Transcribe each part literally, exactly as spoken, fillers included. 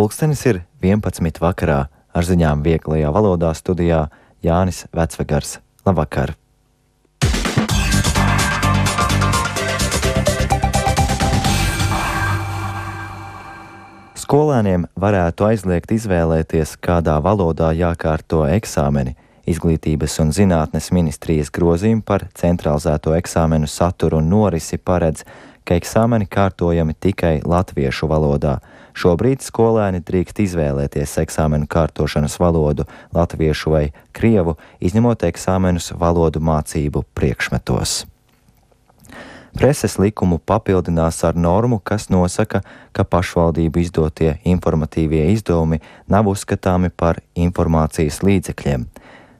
Pulkstenis ir vienpadsmit vakarā, ar ziņām vieglajā valodā studijā Jānis Vecvegars. Labvakar! Skolēniem varētu aizliegt izvēlēties, kādā valodā jākārto eksāmeni. Izglītības un zinātnes ministrijas grozījumi par centralizēto eksāmenu saturu un norisi paredz, ka eksāmeni kārtojami tikai latviešu valodā. Šobrīd skolēni drīkst izvēlēties eksāmenu kārtošanas valodu latviešu vai krievu, izņemot eksāmenus valodu mācību priekšmetos. Preses likumu papildinās ar normu, kas nosaka, ka pašvaldību izdotie informatīvie izdevumi nav uzskatāmi par informācijas līdzekļiem.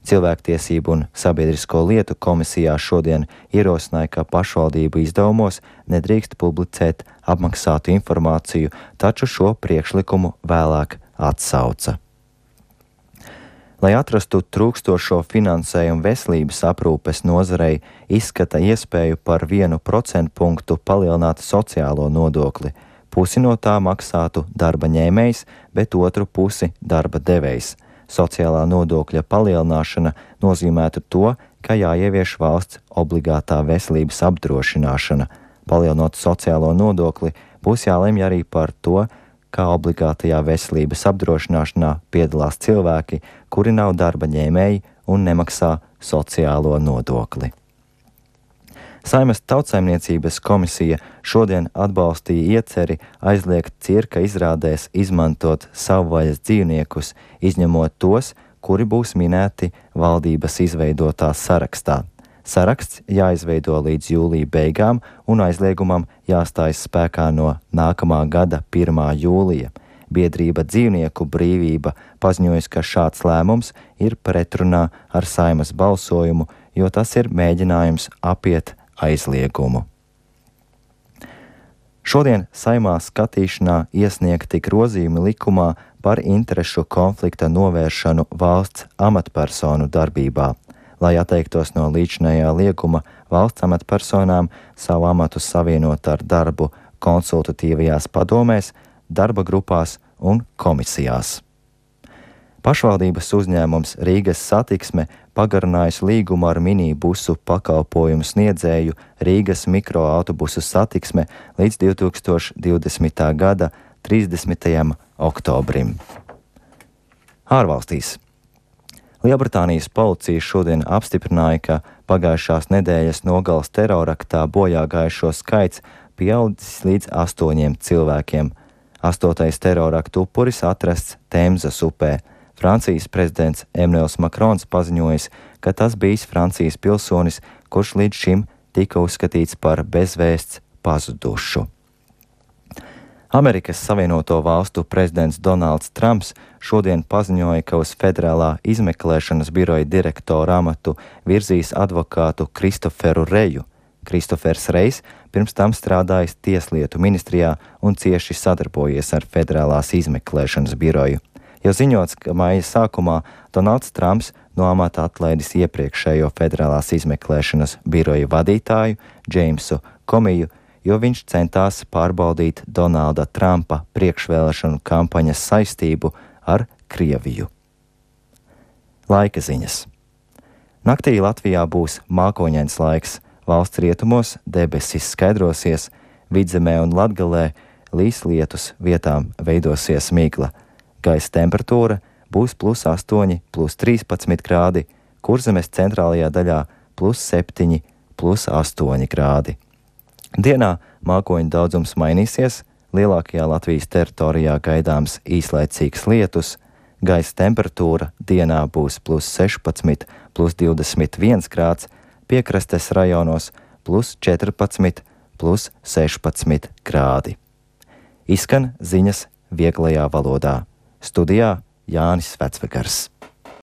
Cilvēktiesību un sabiedrisko lietu komisijā šodien ierosināja, ka pašvaldību izdevumos nedrīkst publicēt apmaksātu informāciju, taču šo priekšlikumu vēlāk atsauca. Lai atrastu trūkstošo finansējumu veselības aprūpes nozarei, izskata iespēju par vienu procentpunktu palielināt sociālo nodokli. Pusi no tā maksātu darba ņēmējs, bet otru pusi darba devējs. Sociālā nodokļa palielināšana nozīmētu to, ka jāievieš valsts obligātā veselības apdrošināšana. Palielinot sociālo nodokli, būs jālemj arī par to, kā obligātajā veselības apdrošināšanā piedalās cilvēki, kuri nav darba ņēmēji un nemaksā sociālo nodokli. Saeimas Tautsaimniecības komisija šodien atbalstīja ieceri aizliegt cirka izrādēs izmantot savvaļas dzīvniekus, izņemot tos, kuri būs minēti valdības izveidotā sarakstā. Saraksts jāizveido līdz jūlija beigām un aizliegumam jāstājas spēkā no nākamā gada pirmā jūlija. Biedrība Dzīvnieku brīvība paziņojas, ka šāds lēmums ir pretrunā ar Saeimas balsojumu, jo tas ir mēģinājums apiet aizliegumu. Šodien Saeimā skatīšanā iesniegti grozījumi likumā par interešu konflikta novēršanu valsts amatpersonu darbībā. Lai atteiktos no līdzinējā lieguma valsts amatpersonām savu amatu savienot ar darbu konsultatīvajās padomēs, darba grupās un komisijās. Pašvaldības uzņēmums Rīgas Satiksme pagarinājusi līgumu ar minibusu pakalpojumu sniedzēju Rīgas mikroautobusu satiksme līdz divi tūkstoši divdesmitā gada trīsdesmitajam oktobrim. Ārvalstīs. Lielbritānijas policija šodien apstiprināja, ka pagājušās nedēļas nogales teroraktā bojā gājušo skaits pieaudzis līdz astoņiem cilvēkiem. Astotais teroraktu upuris atrasts Temzas upē. Francijas prezidents Emmanuels Macrons paziņojis, ka tas bijis Francijas pilsonis, kurš līdz šim tika uzskatīts par bezvēsts pazudušu. Amerikas Savienoto Valstu prezidents Donalds Trumps šodien paziņoja, ka uz federālā izmeklēšanas biroja direktora amatu virzīs advokātu Kristoferu Reju. Kristofers Rejs pirms tam strādājis Tieslietu ministrijā un cieši sadarbojies ar federālās izmeklēšanas biroju. Jau ziņots, ka maija sākumā Donalds Trumps no amata atlaidis iepriekšējo federālās izmeklēšanas biroja vadītāju Džeimsu Komiju, jo viņš centās pārbaudīt Donalda Trumpa priekšvēlēšanu kampaņas saistību ar Krieviju. Laika ziņas. Naktī Latvijā būs mākoņains laiks, valsts rietumos debesis skaidrosies, Vidzemē un Latgalē līs lietus, vietām veidosies migla. Gaisa temperatūra būs plus astoņi, plus trīspadsmit grādi, Kurzemes centrālajā daļā plus septiņi, plus astoņi grādi. Dienā mākoņu daudzums mainīsies, lielākajā Latvijas teritorijā gaidāms īslaicīgs lietus, gaisa temperatūra dienā būs plus sešpadsmit, plus divdesmit viens grāds, piekrastes rajonos plus četrpadsmit, plus sešpadsmit grādi. Izskan ziņas vieglajā valodā. Studijā Jānis Vecvegars.